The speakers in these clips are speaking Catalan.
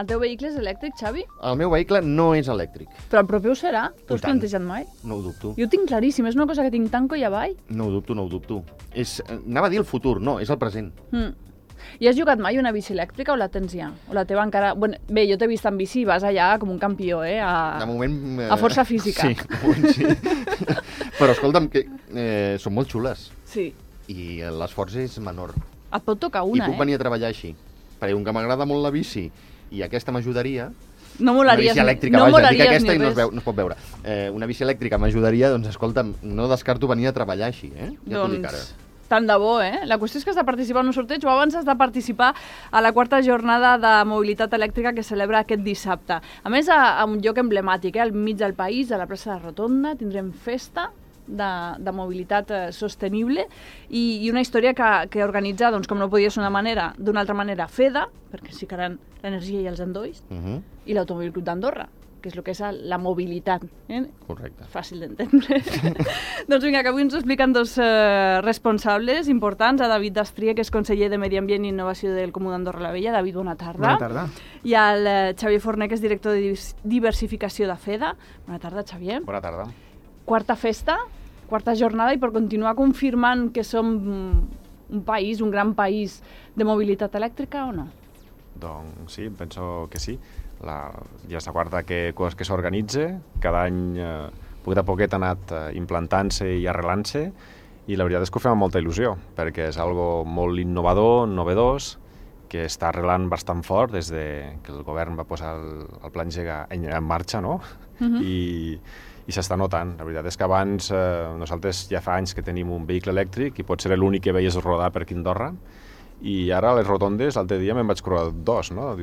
El teu vehicle és elèctric, Xavi? El meu vehicle no és elèctric. Però el proper ho serà? T'ho has tant. plantejat mai? No ho dubto. Jo ho tinc claríssim, és una cosa que tinc tan coll avall. No ho dubto. Anava a dir el futur, no, és el present. I has jugat mai una bici elèctrica o la tens ja? O la teva encara... Bueno, bé, jo t'he vist en bici i vas allà com un campió, De moment... A força física. Sí, de moment sí. Però escolta'm, que són molt xules. Sí. I l'esforç és menor. Et pot tocar I una, puc venir a treballar així. Perquè com que m'agrada molt la bici i aquesta m'ajudaria... No una molaries, bici elèctrica, no vaja, dic molaries aquesta ni i no res. es pot veure. Una bici elèctrica m'ajudaria, doncs escolta'm, no descarto venir a treballar així, Ja t'ho dic ara. Tant de bo, La qüestió és que has de participar en un sorteig o abans has de participar a la 4ª jornada de mobilitat elèctrica que celebra aquest dissabte. A més, a un lloc emblemàtic, al mig del país, a la plaça de Rotonda, tindrem festa de mobilitat sostenible i una història que organitza, doncs, com no podia ser d'una altra manera, FEDA, perquè sí que eren l'energia i els endolls, i l'Automòbil Club d'Andorra, que és el que és la mobilitat. Correcte. Fàcil d'entendre. Doncs vinga, que avui ens ho expliquen dos responsables importants, a David Dastria, que és conseller de Medi Ambient i Innovació del Comú d'Andorra la Vella. David, bona tarda. Bona tarda. I al Xavier Forner, que és director de diversificació de FEDA. Bona tarda, Xavier. Bona tarda. Quarta festa, quarta jornada, i per continuar confirmant que som un país, un gran país de mobilitat elèctrica o no? Doncs sí, penso que sí. Ja és la quarta cosa que s'organitza. Cada any, poquet a poquet, ha anat implantant-se i arrelant-se, i la veritat és que ho fem amb molta il·lusió, perquè és algo molt innovador, novedós, que està arrelant bastant fort des de que el govern va posar el Pla Engega en marxa, no? I s'està notant. La veritat és que abans nosaltres ja fa anys que tenim un vehicle elèctric i potser era l'únic que veies rodar per aquí a Andorra, i ara a les rotondes l'altre dia me'n vaig creuar dos, no?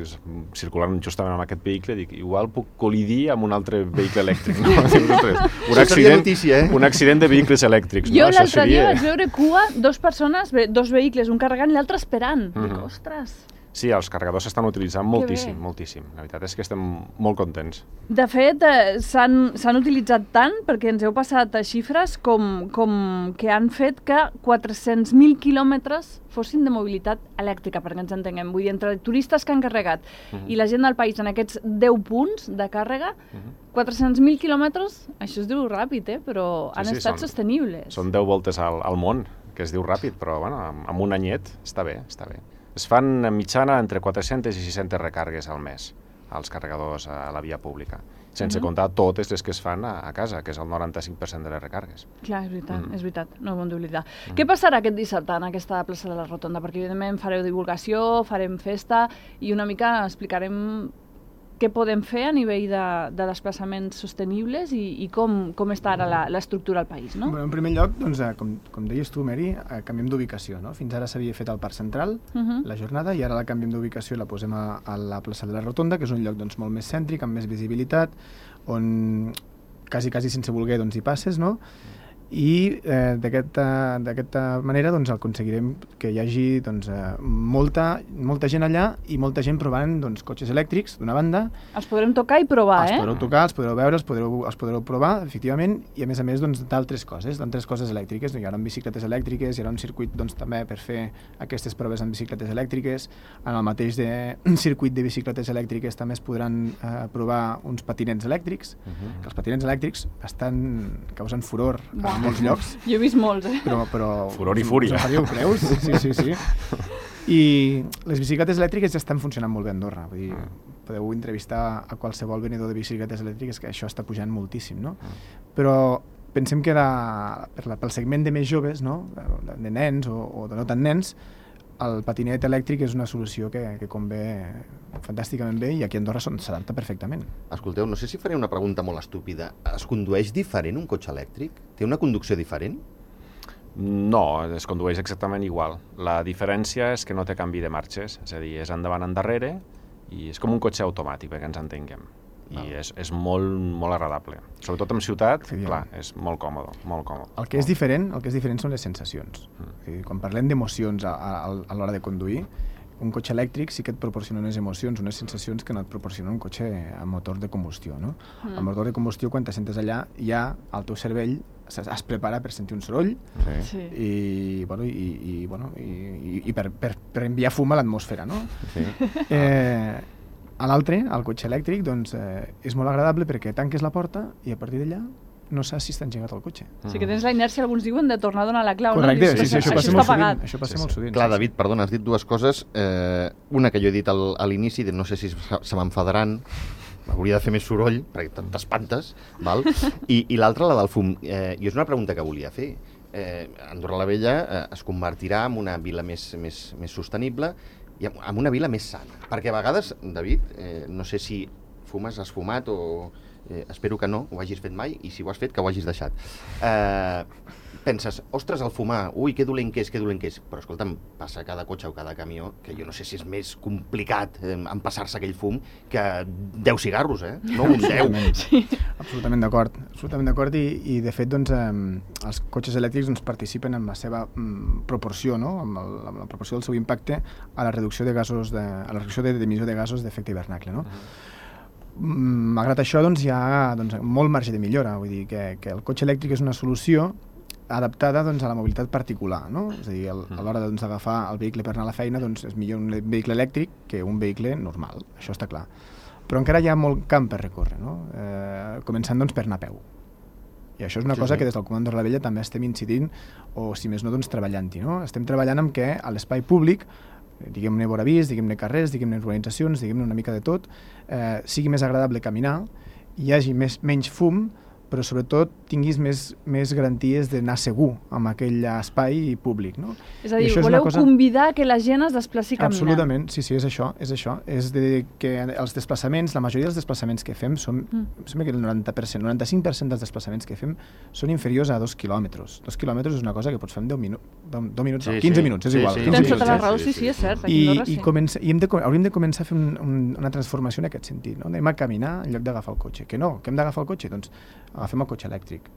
Circulant justament amb aquest vehicle, dic, igual puc col·lidir amb un altre vehicle elèctric, no? Un accident de vehicles elèctrics. Jo l'altre dia vaig veure cua, dos persones, dos vehicles, un carregant i l'altre esperant. Dic, ostres... Sí, els carregadors s'estan utilitzant moltíssim. La veritat és que estem molt contents. De fet, s'han utilitzat tant, perquè ens heu passat xifres, com que han fet que 400.000 quilòmetres fossin de mobilitat elèctrica, perquè ens entenguem. Vull dir, entre turistes que han carregat i la gent del país en aquests 10 punts de càrrega, 400.000 quilòmetres, això es diu ràpid, però han estat sostenibles. Són 10 voltes al món, que es diu ràpid, però bueno, amb un anyet està bé. Es fan en mitjana entre 400 i 600 recàrregues al mes als carregadors a la via pública, sense comptar totes les que es fan a casa, que és el 95% de les recàrregues. Clar, és veritat, no ho hem d'oblidar. Què passarà aquest dissabte en aquesta plaça de la Rotonda? Perquè evidentment fareu divulgació, farem festa i una mica explicarem què podem fer a nivell de desplaçaments sostenibles i com està ara l'estructura al país, no? En primer lloc, doncs, com deies tu, Mary, canviem d'ubicació, no? Fins ara s'havia fet al Parc Central, la jornada, i ara la canviem d'ubicació i la posem a la plaça de la Rotonda, que és un lloc molt més cèntric, amb més visibilitat, on quasi sense voler hi passes, no? I d'aquesta manera aconseguirem que hi hagi molta gent allà i molta gent provant cotxes elèctrics, d'una banda. Els podrem tocar i provar, Els podreu tocar, els podreu veure, els podreu provar, efectivament, i a més d'altres coses elèctriques. Hi haurà bicicletes elèctriques, hi haurà un circuit també per fer aquestes proves amb bicicletes elèctriques. En el mateix circuit de bicicletes elèctriques també es podran provar uns patinets elèctrics, que els patinets elèctrics causen furor en molts llocs. Jo he vist molts, Però furor i fúria. Creus? Sí. I les bicicletes elèctriques ja estan funcionant molt bé a Andorra. Vull dir, podeu entrevistar a qualsevol venedor de bicicletes elèctriques, que això està pujant moltíssim, no? Però pensem que pel segment de més joves, no? De nens o de no tan nens, el patinet elèctric és una solució que convé fantàsticament bé, i aquí a Andorra s'adapta perfectament. Escolteu, no sé si faré una pregunta molt estúpida. Es condueix diferent un cotxe elèctric? Té una conducció diferent? No, es condueix exactament igual. La diferència és que no té canvi de marxes, és a dir, és endavant, endarrere, i és com un cotxe automàtic, perquè ens entenguem. I és molt agradable. Sobretot en ciutat, clar, és molt còmode. El que és diferent són les sensacions. Quan parlem d'emocions a l'hora de conduir, un cotxe elèctric sí que et proporciona unes emocions, unes sensacions que no et proporciona un cotxe amb motor de combustió, no? El motor de combustió, quan te sentes allà, ja el teu cervell es prepara per sentir un soroll i per enviar fum a l'atmosfera, no? A l'altre, el cotxe elèctric, doncs, és molt agradable perquè tanques la porta i a partir d'allà no saps si està engegat el cotxe. O sigui que tens la inèrcia, alguns diuen, de tornar a donar la clau. Correcte, no? sí, això passa molt sovint. Això passa molt sovint. Clar, David, perdona, has dit dues coses. Una que jo he dit a l'inici, no sé si se m'enfadaran, hauria de fer més soroll, perquè t'espantes, val? I l'altra, la del fum. I és una pregunta que volia fer. Andorra la Vella es convertirà en una vila més sostenible i en una vila més sana. Perquè a vegades, David, no sé si has fumat o... espero que no ho hagis fet mai, i si ho has fet, que ho hagis deixat. Penses, ostres, el fumar, ui, que dolent que és, però escolta'm, passa cada cotxe o cada camió, que jo no sé si és més complicat empassar-se aquell fum que 10 cigarros, no un 10. Sí. Absolutament d'acord, i de fet, doncs, els cotxes elèctrics doncs, participen amb la seva proporció, no? amb la proporció del seu impacte a la reducció de gasos, a la reducció d'emissió de gasos d'efecte hivernacle, no? Malgrat això, doncs, hi ha molt marge de millora, vull dir que el cotxe elèctric és una solució adaptada doncs, a la mobilitat particular, no? És a dir, a l'hora d'agafar el vehicle per anar a la feina, doncs, és millor un vehicle elèctric que un vehicle normal, això està clar. Però encara hi ha molt camp per recórrer, no? Començant doncs, per anar a peu. I això és una cosa que des del Comando de la Vella també estem incidint, o si més no, doncs, treballant-hi, no? Estem treballant amb que a l'espai públic, diguem-ne voravís, diguem-ne carrers, diguem-ne urbanitzacions, diguem-ne una mica de tot, sigui més agradable caminar, hi hagi menys fum, però sobretot tinguis més garanties d'anar segur amb aquell espai públic, no? És a dir, voleu convidar que la gent es desplaci caminant. Absolutament, sí, és això. És de que els desplaçaments, la majoria dels desplaçaments que fem, sembla que el 90%, 95% dels desplaçaments que fem són inferiors a 2 quilòmetres. 2 quilòmetres és una cosa que pots fer en 10 minuts, 15 minuts, és igual. Tens tota la raó, sí, és cert. I hauríem de començar a fer una transformació en aquest sentit, no? Anem a caminar en lloc d'agafar el cotxe. Que no, que hem d'agafar el cotxe? Doncs agafem el cotxe elèctric.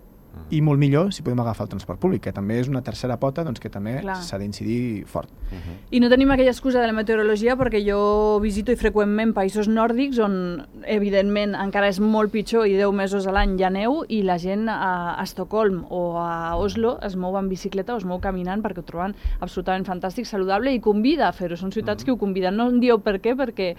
I molt millor si podem agafar el transport públic, que també és una tercera pota doncs, que també s'ha d'incidir fort. I no tenim aquella excusa de la meteorologia, perquè jo visito freqüentment països nòrdics on, evidentment, encara és molt pitjor i 10 mesos a l'any hi ha neu, i la gent a Estocolm o a Oslo es mou en bicicleta o es mou caminant perquè ho troben absolutament fantàstic, saludable, i convida a fer-ho. Són ciutats que ho conviden. No em dieu per què, perquè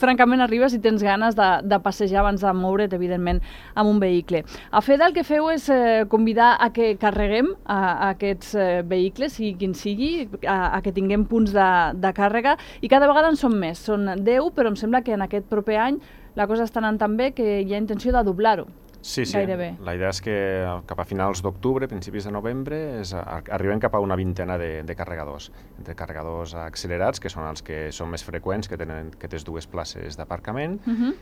francament arribes i tens ganes de passejar abans de moure't, evidentment, amb un vehicle. A FEDA el que feu és convidar a que carreguem a aquests vehicles, sigui quin sigui, a que tinguem punts de càrrega, i cada vegada en són més. Són 10, però em sembla que en aquest proper any la cosa està anant tan bé que hi ha intenció de doblar-ho. Sí. Gairebé. La idea és que cap a finals d'octubre, principis de novembre, arribem cap a una vintena de carregadors. Entre carregadors accelerats, que són els que són més freqüents, que tens 2 places d'aparcament,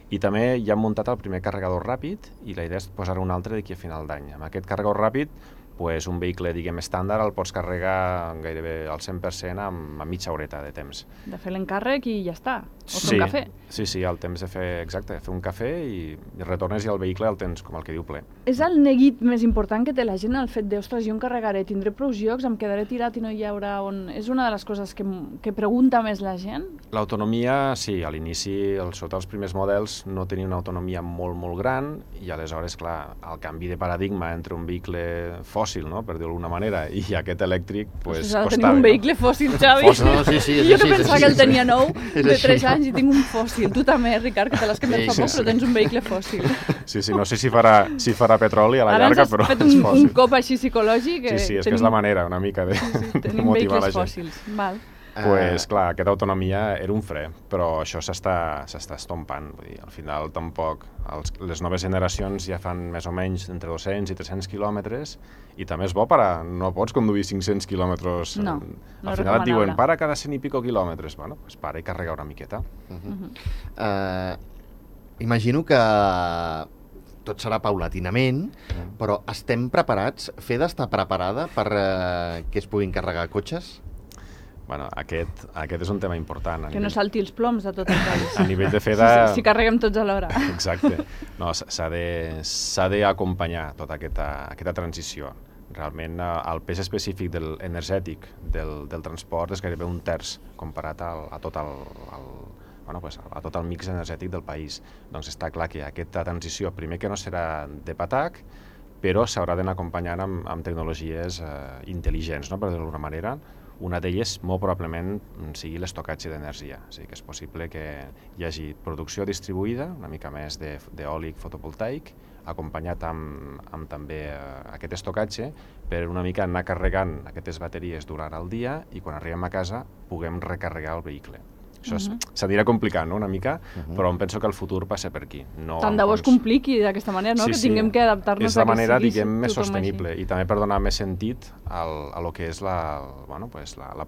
i també ja hem muntat el primer carregador ràpid, i la idea és posar un altre d'aquí a final d'any. Amb aquest carregador ràpid, un vehicle, diguem, estàndard el pots carregar gairebé al 100% amb mitja horeta de temps. De fer l'encàrrec i ja està. O fer un cafè. Sí, el temps de fer un cafè i retornes i el vehicle el tens, com el que diu, ple. És el neguit més important que té la gent, el fet de, ostres, jo em carregaré, tindré prou llocs, em quedaré tirat i no hi haurà on... És una de les coses que pregunta més la gent? L'autonomia, sí, a l'inici, sota els primers models, no tenia una autonomia molt, molt gran, i aleshores, clar, el canvi de paradigma entre un vehicle fòssil, no?, per dir-ho d'alguna manera, i aquest elèctric, pues, costava. Tenim un vehicle fòssil, Xavi. No, sí, jo que pensava que el tenia nou, de 3 anys, i tinc un fòssil. Tu també, Ricard, que te l'has canviat fa poc, però tens un vehicle fòssil. Sí, no sé si farà petroli a la llarga, però és fòssil. Ara ens has fet un cop així psicològic. Sí, és que és la manera, una mica, de motivar la gent. Tenim vehicles fòssils, val. Pues, clar, aquesta autonomia era un fre, però això s'està estompant. Vull dir, al final, tampoc... Les noves generacions ja fan més o menys entre 200 i 300 quilòmetres, i també és bo no pots conduir 500 quilòmetres. No, al final et diuen, para cada 100 i pico quilòmetres. Bueno, pues para i carrega una miqueta. Imagino que tot serà paulatinament, però estem preparats? FEDA està preparada per que es puguin carregar cotxes? Bueno, aquest és un tema important. Que no salti els ploms de tot el país. A nivell de FEDA... Si carreguem tots alhora. Exacte. No, s'ha d'acompanyar tota aquesta transició. Realment, el pes específic energètic del transport és gairebé un terç comparat a tot el mix energètic del país. Doncs està clar que aquesta transició, primer que no serà de patac, però s'haurà d'anar acompanyant amb tecnologies intel·ligents, no?, per dir-ho d'alguna manera. Una d'elles, molt probablement, sigui l'estocatge d'energia. O sigui que és possible que hi hagi producció distribuïda, una mica més d'eòlic fotovoltaic, acompanyat amb també aquest estocatge, per una mica anar carregant aquestes bateries durant el dia i quan arribem a casa puguem recarregar el vehicle. Això s'anirà complicant, no?, una mica, però em penso que el futur passa per aquí. No, tant de bo es compliqui d'aquesta manera, no? Sí, que tinguem que adaptar-nos a que sigui és la manera, diguem, més tothom sostenible així. i també per donar més sentit a lo que és la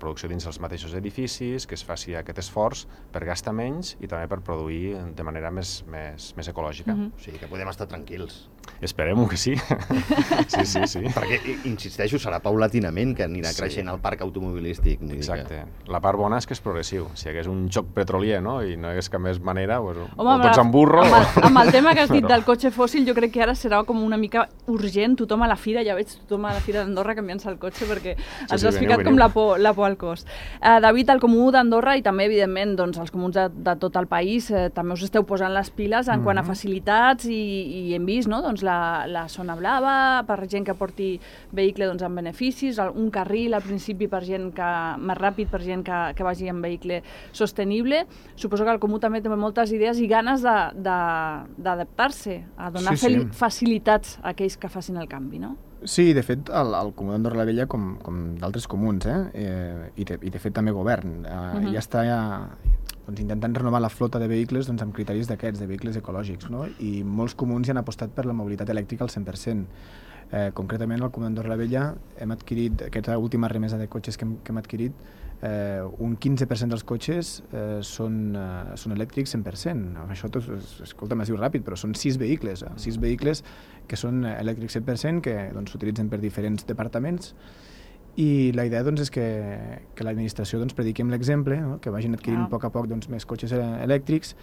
producció dins els mateixos edificis, que es faci aquest esforç per gastar menys i també per produir de manera més ecològica. O sigui que podem estar tranquils. Esperem-ho que sí. Sí. Perquè, insisteixo, serà paulatinament que anirà creixent el parc automobilístic. Exacte. La part bona és que és progressiu. Si hi hagués un xoc petrolier, no?, i no hi hagués cap més manera, pues, Home, o tots en burro... Amb el tema que has dit del cotxe fòssil, jo crec que ara serà com una mica urgent. Tothom a la fira, ja veig tothom a la fira d'Andorra canviant-se el cotxe perquè ens has ficat com la por al cos. David, el Comú d'Andorra i també, evidentment, doncs, els comuns de tot el país també us esteu posant les piles en quant a facilitats i hem vist, no?, doncs, la zona blava per gent que porti vehicle doncs, amb beneficis, un carril al principi per gent més ràpid per gent que vagi en vehicle sostenible. Suposo que el Comú també té moltes idees i ganes d'adaptar-se, a donar facilitats a aquells que facin el canvi, no? Sí, de fet, el Comú d'Andorra la Vella, com d'altres comuns, i de fet també govern, ja està doncs, intentant renovar la flota de vehicles doncs, amb criteris d'aquests, de vehicles ecològics, no? I molts comuns ja han apostat per la mobilitat elèctrica al 100%. Concretament, al Comú d'Andorra la Vella hem adquirit, aquesta última remesa de cotxes que hem adquirit, un 15% dels cotxes són elèctrics 100%. Això tot, escolta'm, es diu ràpid, però són 6 vehicles que són elèctrics 100%, que doncs, s'utilitzen per diferents departaments. I la idea doncs, és que l'administració doncs, prediqui amb l'exemple, no? Que vagin adquirint a poc doncs, més cotxes elèctrics.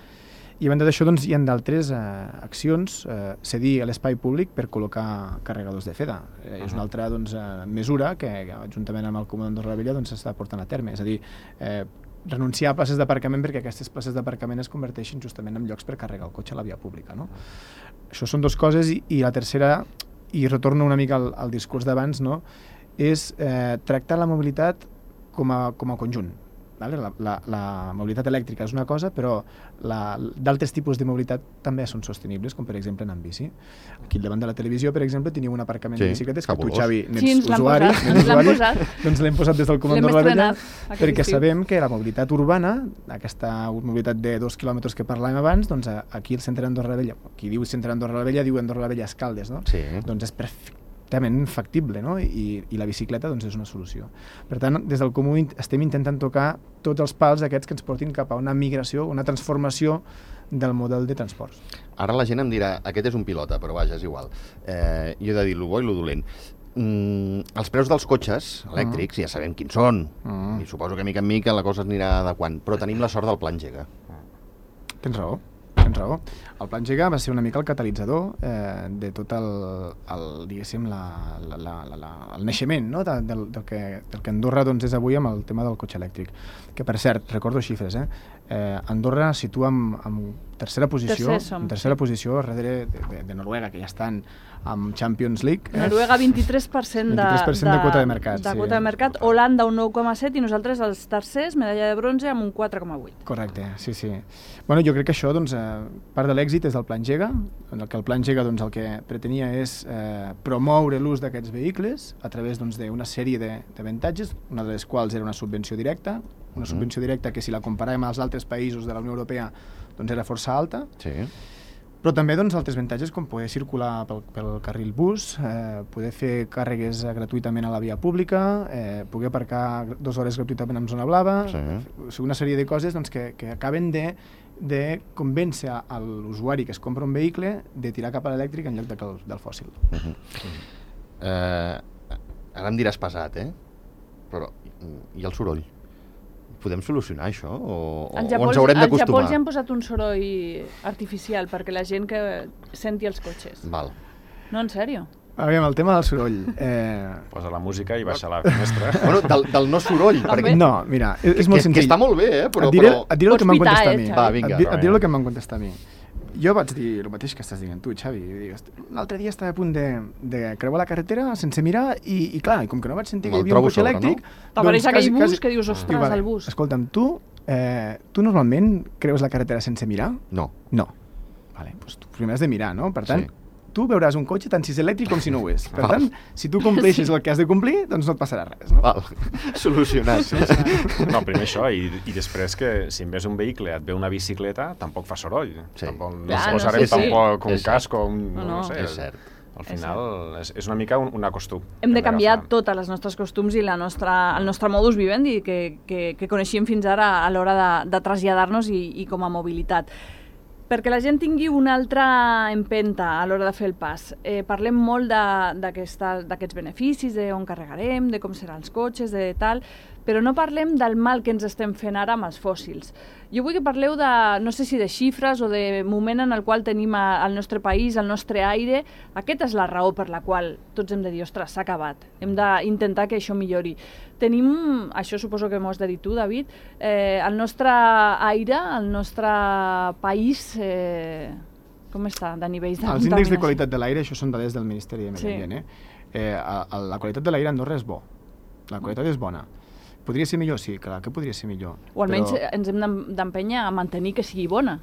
I a banda d'això doncs, hi ha d'altres accions, cedir a l'espai públic per col·locar carregadors de FEDA. És una altra doncs, mesura que juntament amb el Comú d'Andorra la Vella doncs, s'està portant a terme. És a dir, renunciar a places d'aparcament perquè aquestes places d'aparcament es converteixin justament en llocs per carregar el cotxe a la via pública. No? Això són dues coses i la tercera, i retorno una mica al discurs d'abans, no? És tractar la mobilitat com a conjunt. Vale? La mobilitat elèctrica és una cosa, però d'altres tipus de mobilitat també són sostenibles, com per exemple anar en bici. Aquí davant de la televisió, per exemple, teniu un aparcament de bicicletes que tu, Xavi, n'ets usuari, doncs l'hem posat des del Comú d'Andorra la Vella, perquè sabem que la mobilitat urbana, aquesta mobilitat de 2 quilòmetres que parlàvem abans, doncs aquí al centre d'Andorra la Vella, qui diu centre d'Andorra la Vella diu Andorra la Vella Escaldes, no? Sí. Doncs és perfectament factible, no? I la bicicleta doncs, és una solució. Per tant, des del Comú estem intentant tocar tots els pals aquests que ens portin cap a una migració, una transformació del model de transports. Ara la gent em dirà, aquest és un pilota, però vaja, és igual. Jo he de dir lo bo i lo dolent. Els preus dels cotxes elèctrics ja sabem quins són, i suposo que mica en mica la cosa es anirà adequant, però tenim la sort del Pla Engega. Tens raó. El Pla Engega va ser una mica el catalitzador de tot diguéssim, el naixement, no? del que Andorra doncs, és avui amb el tema del cotxe elèctric. Que, per cert, recordo xifres, Andorra situa en tercera posició darrere de Noruega, que ja estan amb Champions League. Noruega 23% de quota de mercat. Quota de mercat, Holanda un 9,7 i nosaltres els tercers, medalla de bronze, amb un 4,8. Correcte, sí. Bueno, jo crec que això, doncs, part de l'èxit és del Pla Engega, en el que el Pla Engega doncs, el que pretenia és promoure l'ús d'aquests vehicles a través d'una sèrie d'avantatges, una de les quals era una subvenció directa, que si la comparàvem als altres països de la Unió Europea doncs era força alta, sí. Però també doncs, altres avantatges com poder circular pel carril bus, poder fer càrregues gratuïtament a la via pública, poder aparcar 2 hores gratuïtament en zona blava, una sèrie de coses doncs, que acaben de convèncer a l'usuari que es compra un vehicle de tirar cap a l'elèctric en lloc del fòssil. Ara em diràs pesat, però i el soroll? Podem solucionar això? O ens haurem d'acostumar? Al Japó ja han posat un soroll artificial perquè la gent que senti els cotxes. Val. No, en sèrio? Aviam, el tema del soroll. Posa la música i baixa la finestra. Bueno, del no soroll. Perquè... No, mira, és molt senzill. Que està molt bé, però... Et diré el que m'han contestat a mi. Va, vinga. Et diré el que m'han contestat a mi. Jo vaig dir el mateix que estàs dient tu, Xavi. L'altre dia estava a punt de creuar la carretera sense mirar i clar, com que no vaig sentir que hi havia un cotxe elèctric... T'apareix aquell bus que dius, ostres, el bus. Escolta'm, tu normalment creus la carretera sense mirar? No. No. Vale, doncs tu primer has de mirar, no? Per tant, tu veuràs un cotxe tant si és elèctric com si no ho és. Per tant, si tu compleixes el que has de complir, doncs no et passarà res, no? Val. Solucionat. No, primer això, i després que si en ves un vehicle et ve una bicicleta, tampoc fa soroll. Tampoc no ens posarem tampoc un casco, no sé. És cert. Al final és una mica un acostum. Hem de canviar totes les nostres costums i el nostre modus vivendi que coneixíem fins ara a l'hora de traslladar-nos i com a mobilitat. Perquè la gent tingui una altra empenta a l'hora de fer el pas. Parlem molt d'aquests beneficis, d'on carregarem, de com seran els cotxes, de tal, però no parlem del mal que ens estem fent ara amb els fòssils. Jo vull que parleu no sé si de xifres o de moment en el qual tenim al nostre país, al nostre aire. Aquesta és la raó per la qual tots hem de dir, ostres, s'ha acabat. Hem d'intentar que això millori. Tenim, això suposo que m'ho has de dir tu, David, el nostre aire, el nostre país, com està de nivells de contaminació? Els índexs de qualitat de l'aire, això són dades del Ministeri de Medi Ambient. La qualitat de l'aire a Andorra és bo. La qualitat és bona. Podria ser millor? Sí, clar que podria ser millor. O almenys ens hem d'empènyer a mantenir que sigui bona.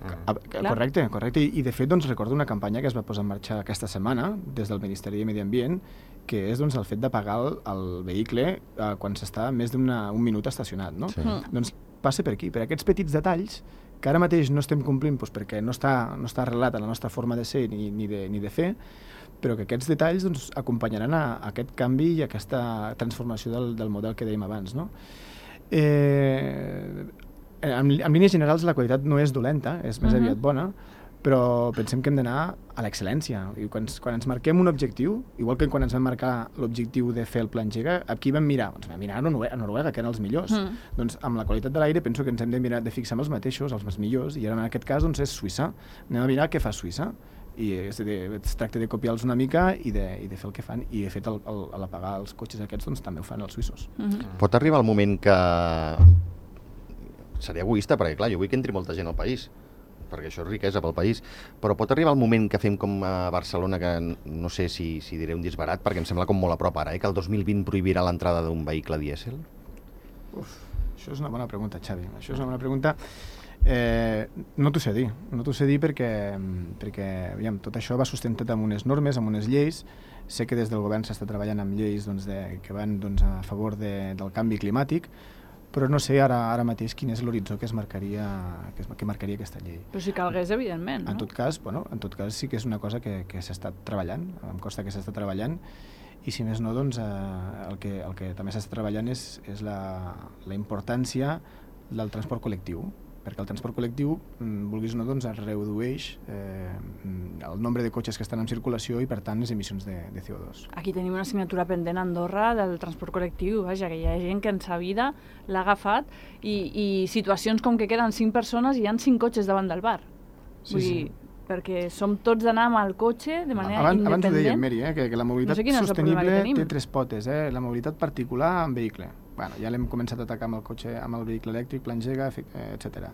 Correcte. I de fet recordo una campanya que es va posar en marxa aquesta setmana des del Ministeri de Medi Ambient, que és el fet de pagar el vehicle quan s'està més d'un minut estacionat. Doncs passa per aquí, per aquests petits detalls que ara mateix no estem complint perquè no està arrelat a la nostra forma de ser ni de fer, però que aquests detalls acompanyaran a aquest canvi i a aquesta transformació del model que dèiem abans. En línies generals la qualitat no és dolenta, és més aviat bona, però pensem que hem d'anar a l'excel·lència. I quan ens marquem un objectiu, igual que quan ens vam marcar l'objectiu de fer el Pla Engega, aquí vam mirar? Doncs vam mirar a Noruega, que eren els millors. Doncs amb la qualitat de l'aire penso que ens hem de fixar en els mateixos, els millors, i ara en aquest cas és Suïssa. Anem a mirar què fa Suïssa. I es tracta de copiar-los una mica i de fer el que fan, i de fet a l'apagar els cotxes aquests també ho fan els suïssos. Pot arribar el moment que seria egoista, perquè clar, jo vull que entri molta gent al país, perquè això és riquesa pel país, però pot arribar el moment que fem com a Barcelona, que no sé si diré un disbarat, perquè em sembla com molt a prop ara, que el 2020 prohibirà l'entrada d'un vehicle dièsel? Això és una bona pregunta, Xavi. Això és una bona pregunta. No t'ho sé dir perquè tot això va sustentat amb unes normes, amb unes lleis. Sé que des del govern s'està treballant amb lleis que van a favor del canvi climàtic, però no sé ara mateix quin és l'horitzó que marcaria aquesta llei. Però si calgués, evidentment, no? En tot cas sí que és una cosa que s'està treballant, em consta que s'està treballant, i si més no, el que també s'està treballant és la importància del transport col·lectiu, perquè el transport col·lectiu, vulguis o no, redueix el nombre de cotxes que estan en circulació i, per tant, les emissions de CO2. Aquí tenim una assignatura pendent a Andorra del transport col·lectiu, vaja, que hi ha gent que en sa vida l'ha agafat i situacions com que queden 5 persones i hi ha 5 cotxes davant del bar. Vull dir, perquè som tots d'anar amb el cotxe de manera independent. Abans ho dèiem, Meri, que la mobilitat sostenible té 3 potes, la mobilitat particular en vehicle. Bueno, ja l'hem començat a atacar amb el cotxe, amb el vehicle elèctric, Pla Engega, etc.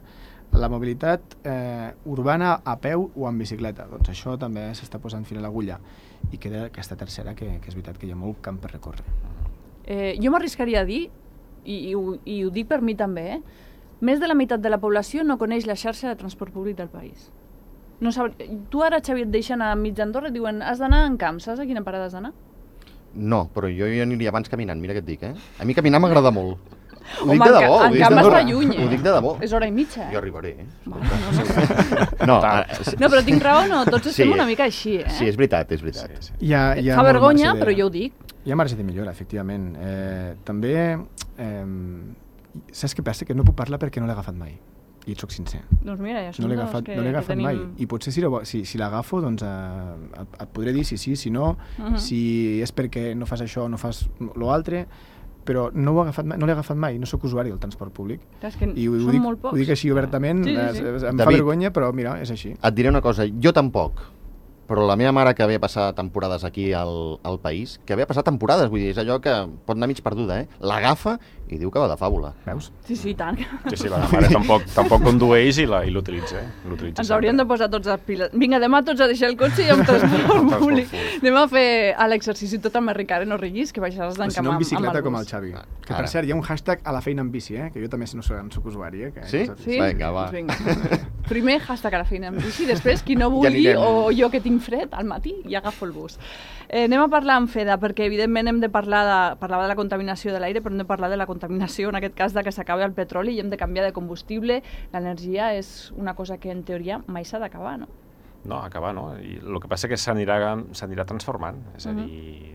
La mobilitat urbana a peu o en bicicleta, doncs això també s'està posant fil a l'agulla, i queda aquesta tercera, que és veritat que hi ha molt camp per recórrer. Jo m'arriscaria a dir, i ho dic per mi també, més de la meitat de la població no coneix la xarxa de transport públic del país. Tu ara, Xavi, et deixen a mig d'Andorra i diuen has d'anar en camp, saps a quina parada has d'anar? No, però jo aniria abans caminant, mira què et dic, A mi caminar m'agrada molt. Ho dic de debò. En camp està lluny, Ho dic de debò. És hora i mitja, Jo arribaré, No, però tinc raó, no? Tots estem una mica així, Sí, és veritat. Fa vergonya, però jo ho dic. Hi ha marge de millora, efectivament. També, saps què passa? Que no puc parlar perquè no l'he agafat mai. I et soc sincer. Doncs mira, ja no l'he agafat mai. I potser si l'agafo, doncs et podré dir si sí, si no, si és perquè no fas això, no fas l'altre, però no l'he agafat mai, no sóc usuari del transport públic. I ho dic així obertament, em fa vergonya, però mira, és així. Et diré una cosa, jo tampoc. però la meva mare, que havia passat temporades aquí al país, que havia passat temporades, vull dir, és allò que pot anar mig perduda, l'agafa i diu que va de fàbula. Veus? Sí, tant. Sí, la mare tampoc condueix i l'utilitza. Ens hauríem de posar tots les piles. Vinga, demà tots a deixar el cotxe i amb transport públic. Anem a fer l'exercici tot amb Ricard, no riguis, que baixaràs d'encamar si no, en bicicleta amb com el Xavi. Que per cert, hi ha un hashtag a la feina en bici, que jo també no soc usuari. Sí? Sí? Vinga, va. Primer hashtag a la feina en bici, després qui no vulgui o jo que tinc fred al matí i agafo el bus. Anem a parlar amb Feda, perquè evidentment hem de parlava de la contaminació de l'aire, però hem de parlar de la contaminació, en aquest cas de que s'acabi el petroli i hem de canviar de combustible. L'energia és una cosa que en teoria mai s'ha d'acabar, no? No, acabar no. I el que passa és que s'anirà transformant. És a dir,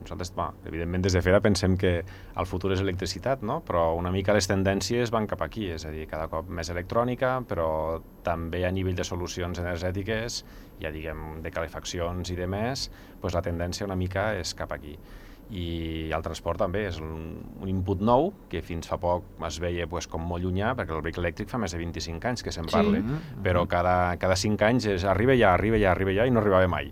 nosaltres, evidentment, des de FEDA pensem que el futur és electricitat, no? Però una mica les tendències van cap aquí, és a dir, cada cop més electrònica, però també a nivell de solucions energètiques, ja diguem, de calefaccions i de més, doncs la tendència una mica és cap aquí. I el transport també és un input nou, que fins fa poc es veia com molt llunyà, perquè el vehicle elèctric fa més de 25 anys que se'n parla, però cada 5 anys arriba ja, i no arribava mai.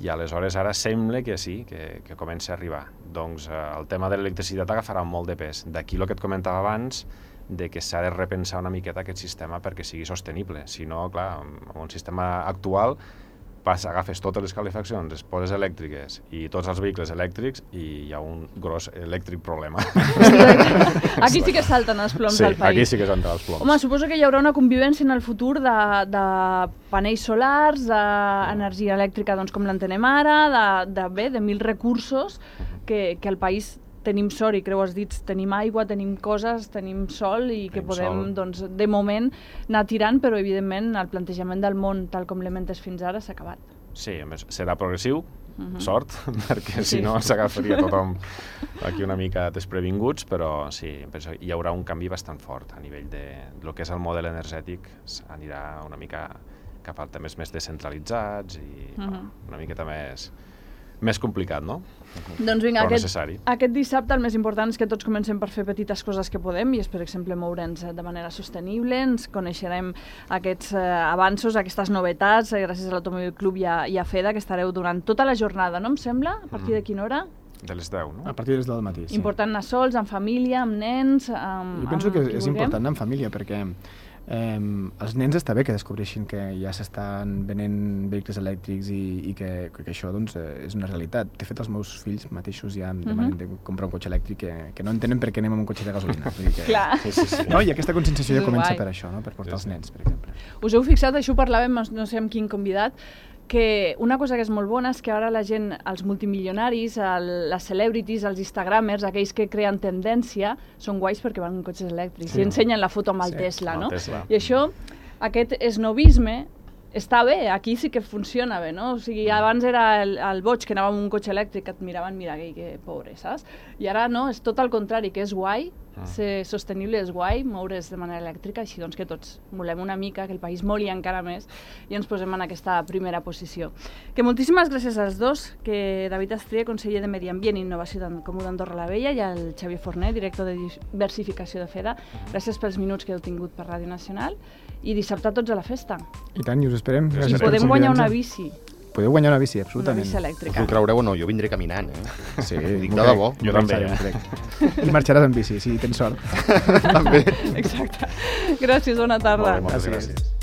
I aleshores ara sembla que sí, que comença a arribar. Doncs el tema de l'electricitat agafarà molt de pes. D'aquí el que et comentava abans, de que s'ha de repensar una miqueta aquest sistema perquè sigui sostenible. Si no, clar, amb un sistema actual agafes totes les calefaccions, les poses elèctriques i tots els vehicles elèctrics i hi ha un gros elèctric problema. Aquí sí que salten els ploms al país. Sí, aquí sí que salten els ploms. Home, suposo que hi haurà una convivència en el futur de panells solars, d'energia elèctrica com l'entenem ara, de mil recursos que el país tenim sort, i creu els dits, tenim aigua, tenim coses, tenim sol i que podem, de moment, anar tirant, però evidentment el plantejament del món, tal com l'hem entès fins ara, s'ha acabat. Sí, serà progressiu, sort, perquè si no s'agafaria tothom aquí una mica desprevinguts, però sí, hi haurà un canvi bastant fort a nivell de lo que és el model energètic, anirà una mica cap a temes més descentralitzats i una miqueta més complicat, no? Doncs vinga, però necessari. Aquest dissabte el més important és que tots comencem per fer petites coses que podem i és, per exemple, moure'ns de manera sostenible, ens coneixerem aquests avanços, aquestes novetats, gràcies a l'Automòbil Club i a FEDA, que estareu durant tota la jornada, no em sembla? A partir de quina hora? De les 10, no? A partir de les 10 del matí, sí. Important anar sols, amb família, amb nens, Jo penso que és important anar amb família, perquè els nens està bé que descobreixin que ja s'estan venent vehicles elèctrics i que això és una realitat. De fet, els meus fills mateixos ja em demanen de comprar un cotxe elèctric que no entenen per què anem amb un cotxe de gasolina. Clar. No, i aquesta conscienciació ja comença per això, per portar els nens, per exemple. Us heu fixat, això ho parlàvem, no sé amb quin convidat, que una cosa que és molt bona és que ara la gent, els multimilionaris, les celebrities, els instagramers, aquells que creen tendència, són guais perquè van en cotxes elèctrics i ensenyen la foto amb el Tesla, no? I això, aquest esnovisme, està bé, aquí sí que funciona bé, no? O sigui, abans era el boig que anava amb un cotxe elèctric que et miraven, mira, que pobre, saps? I ara no, és tot el contrari, que és guai, ser sostenible és guai, moure's de manera elèctrica, així doncs que tots molem una mica, que el país moli encara més i ens posem en aquesta primera posició. Que moltíssimes gràcies als dos, que David Astria, conseller de Medi Ambient i Innovació d'en Comú d'Andorra la Vella, i el Xavier Forner, director de diversificació de FEDA. Gràcies pels minuts que heu tingut per Ràdio Nacional i dissabte tots a la festa. I tant, i us esperem. I podem guanyar una bici. Podeu guanyar una bici, absolutament. Una bici elèctrica. Us ho creureu o no, jo vindré caminant, Sí, dic de debò. Jo també. I marxaràs amb bici, si tens sort. També. Exacte. Gràcies, bona tarda. Moltes gràcies.